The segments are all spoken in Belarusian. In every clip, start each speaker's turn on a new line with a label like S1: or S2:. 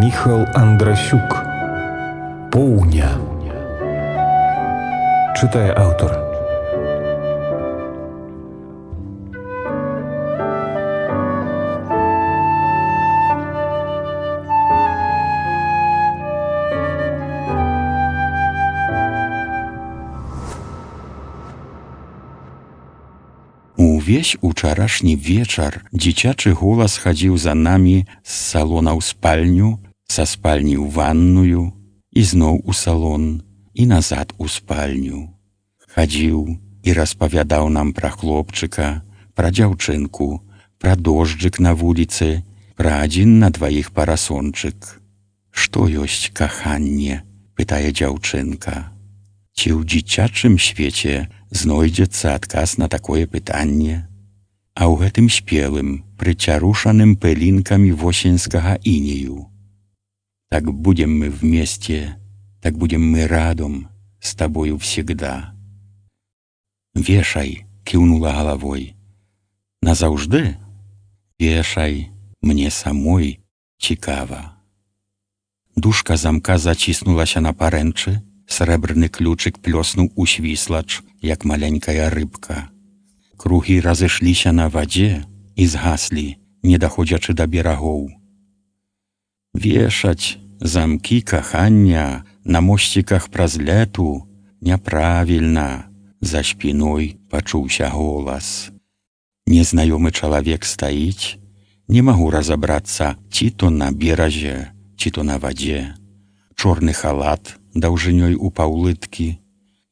S1: Міхал Андрасюк. Поўня. Чытае аўтар.
S2: Увесь учарашні вечар дзіцячы голас хадзіў за намі з салона ў спальню, са спальні ў ванную, ізноў у салон і назад у спальню. Хадзіў і распавядаў нам пра хлопчыка, пра дзяўчынку, пра дожджык на вуліцы, пра адзін на дваіх парасончык. «Што ёсць каханне?» – пытае дзяўчынка. Ці ў дзіцячым свеце знойдзецца адказ на такое пытанне? А ў гэтым спелым, прыцярушаным пылінкамі восеньскага інею. «Так будем мы вместе, так будем мы радом, с тобою всегда». «Вешай», – кіўнула галавой. «Назаўжды?» «Вешай, мне самой цікава». Дужка замка заціснулася на парэнчы, срэбрны ключык плёснуў у свіслач, як маленькая рыбка. Кругі разышліся на вадзе і згаслі, не даходзячы да берагоў. Вешаць замкі кахання на мосціках праз лету няправільна. За спіной пачуўся голас. Незнаёмы чалавек стаіць, не магу разабрацца, ці то на беразе, ці то на вадзе. Чорны халат даўжынёй у паўлыткі,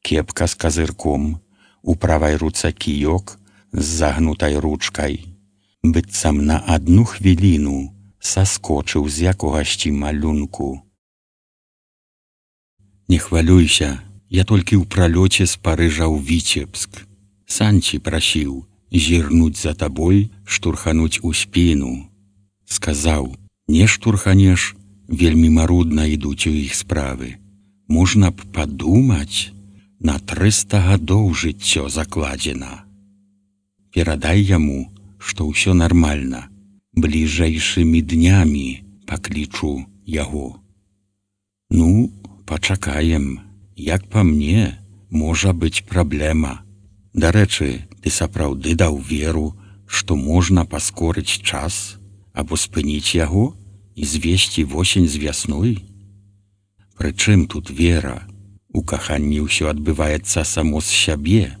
S2: кепка з казырком, у правай руцэ кіёк з загнутай ручкай. Быццам на адну хвіліну саскочыў з якогасьці малюнку. «Не хвалюйся, я толькі ў пралёце з Парыжа ў Віцебск. Санці прасіў зірнуць за табой, штурхануць у спіну. Сказаў, не штурханеш, вельмі марудна ідуць у іх справы. Можна б падумаць, на 300 гадоў жыццё закладзена. Перадай яму, што ўсё нармальна, бліжэйшымі днямі паклічу яго». «Ну, пачакаем, як па мне, можа быць праблема. Дарэчы, ты сапраўды даў веру, што можна паскорыць час або спыніць яго і звесці восень з вясной? Прычым тут вера? У каханні ўсё адбываецца само з сябе,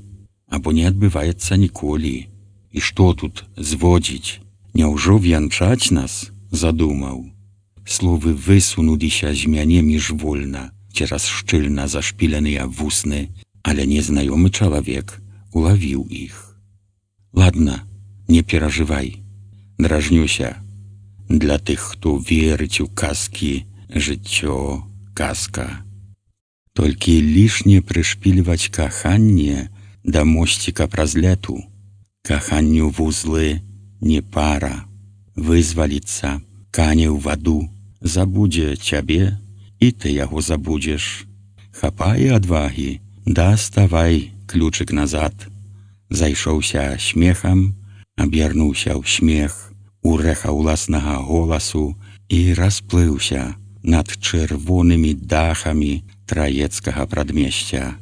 S2: або не адбываецца ніколі. І што тут зводзіць? Няўжо вянчаць нас?» задумаў. Словы высунуліся з мяне міжвольна цераз шчыльна зашпіленыя вусны, але незнаёмы чалавек улавіў іх. «Ладна, не перажывай, дражнюся. Для тых, хто верыць у казкі, жыццё – казка. Толькі лішне прышпільваць каханне да мосціка праз лету. Каханню вузлы не пара. Вызваліцца, кане ў ваду, забудзе цябе, і ты яго забудзеш. Хапае адвагі, даставай ключык назад». Зайшоўся смехам, аб'ярнуўся ў смех, у рэха ўласнага голасу і расплыўся над чырвонымі дахамі траецкага прадмесця.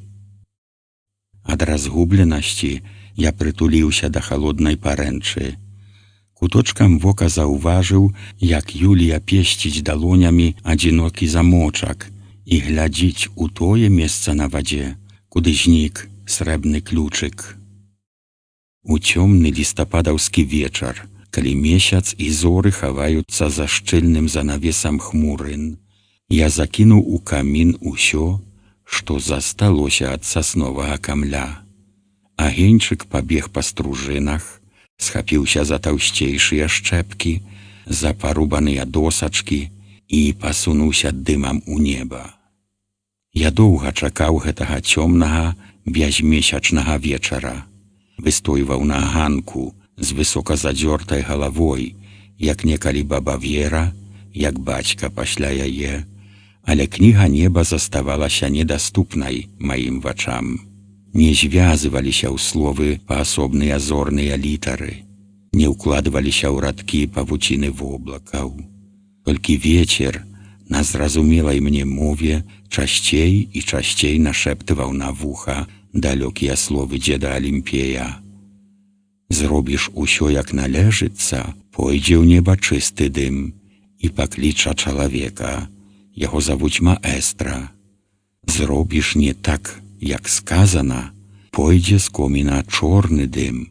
S2: Ад разгубленасці я прытуліўся да халоднай парэнчы. Куточкам вока заўважыў, як Юлія песціць далонямі адзінокі замочак і глядзіць у тое месца на вадзе, куды знік срэбны ключык. У цёмны лістападаўскі вечар, калі месяц і зоры хаваюцца за шчыльным занавесам хмурын, я закінуў у камін усё, што засталося ад сасновага камля. Агеньчык пабег па стружынах, схапіўся за таўсцейшыя шчэпкі, за парубаныя досачкі і пасунуўся дымам у неба. Я доўга чакаў гэтага цёмнага, бязмесячнага вечара. Выстойваў на ганку з высока задзёртай галавой, як некалі баба Вера, як бацька пасля яе, але кніга неба заставалася недаступнай маім вачам. Не звязваліся ў словы паасобныя зорныя літары, не ўкладваліся ў радкі павуціны воблакаў. Толькі вецер На зразумелай мне мове часцей і часцей нашэптываў на вуха далёкія словы дзеда Алімпея. Зробіш усё як належыцца, пойдзе ў неба чысты дым і пакліча чалавека, яго завуць маэстра. Зробіш не так, як сказана, пойдзе з коміна чорны дым,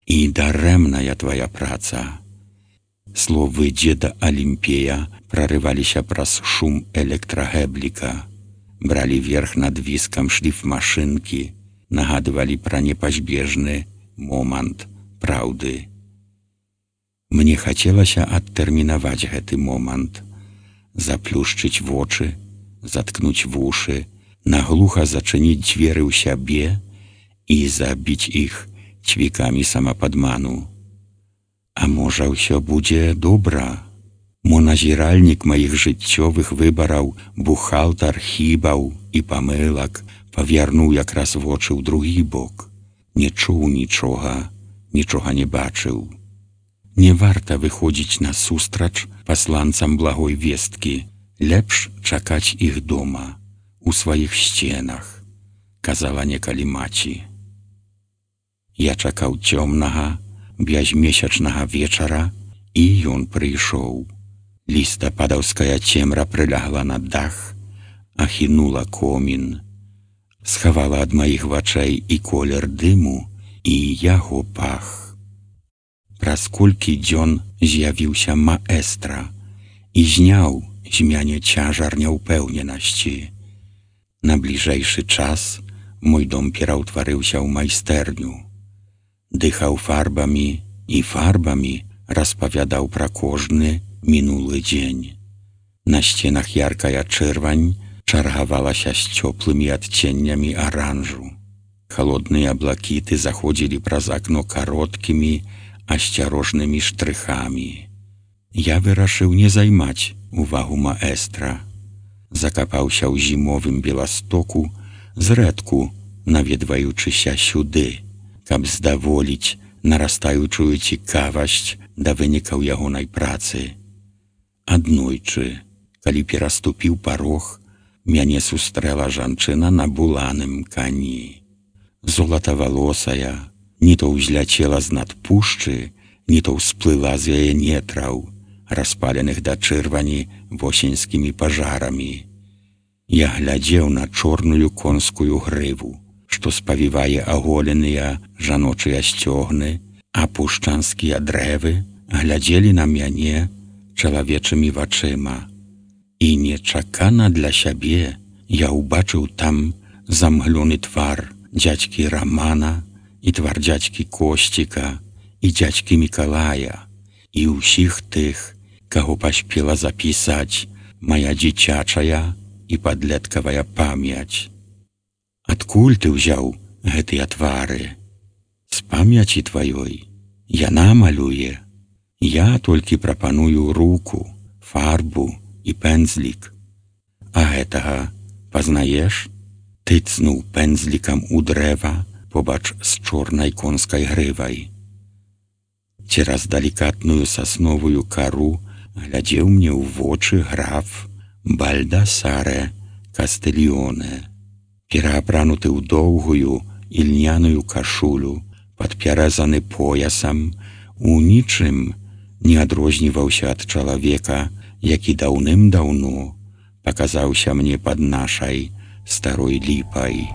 S2: і дарэмная твая праца. Словы дзеда Алімпея прарываліся праз шум электрагэбліка, бралі верх над віскам шліфмашынкі, нагадвалі пра непазбежны момант праўды. Мне хацелася адтэрмінаваць гэты момант, заплюшчыць вочы, заткнуць вушы, наглуха зачыніць дзверы ў сябе і забіць іх цвікамі самападману. А можа, ўсё будзе добра? Мо назіральнік маіх жыццёвых выбараў, бухгалтар хібаў і памылак павярнуў якраз вочы ў другі бок. Не чуў нічога, нічога не бачыў. Не варта выходзіць насустрач пасланцам благой весткі, лепш чакаць іх дома, у сваіх сценах, казала некалі маці. Я чакаў цёмнага, бязмесячнага вечара, і ён прыйшоў. Лістападаўская цемра прылягла на дах, ахінула комін, схавала ад маіх вачэй і колер дыму, і яго пах. Праз колькі дзён з'явіўся маэстра і зняў з мяне цяжар няўпэўненасці. На бліжэйшы час мой дом пераўтварыўся ў майстэрню. Дыхаў фарбамі і фарбамі распавядаў пра кожны мінулы дзень. На сценах яркая чырвань чаргавалася з цёплымі адценнямі аранжу. Халодныя блакіты заходзілі праз акно кароткімі, асцярожнымі штрыхамі. Я вырашыў не займаць увагу маэстра. Закапаўся ў зімовым Беластоку, зрэдку наведваючыся сюды, каб здаволіць нарастаючую цікавасць да вынікаў ягонай працы. Аднойчы, калі пераступіў парог, мяне сустрэла жанчына на буланым кані. Золатавалосая, ні то ўзляцела з-над пушчы, ні то ўсплыла з яе нетраў, распаленых да чырвані восеньскімі пажарамі. Я глядзеў на чорную конскую грыву, што спавівае аголеныя жаночыя сцёгны, а пушчанскія дрэвы глядзелі на мяне чалавечымі вачыма. І нечакана для сябе я ўбачыў там замглёны твар дзядзькі Рамана і твар дзядзькі Косціка і дзядзькі Мікалая і ўсіх тых, каго паспела запісаць мая дзіцячая і падлеткавая памяць. Адкуль ты ўзяў гэтыя твары? З памяці тваёй. Яна малюе. Я толькі прапаную руку, фарбу і пэндзлік. А гэтага пазнаеш? Тыцнуў пэндзлікам у дрэва побач з чорнай конскай грывай. Цераз далікатную сасновую кару глядзеў мне ў вочы граф Бальдасаре Кастыльёне, пераапрануты ў доўгую ільняную кашулю, падпяразаны поясам, у нічым не адрозніваўся ад чалавека, які даўным-даўно паказаўся мне пад нашай старой ліпай.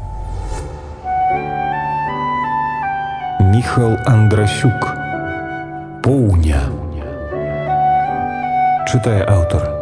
S1: Міхал Андрасюк. Поўня. Чытае аўтар.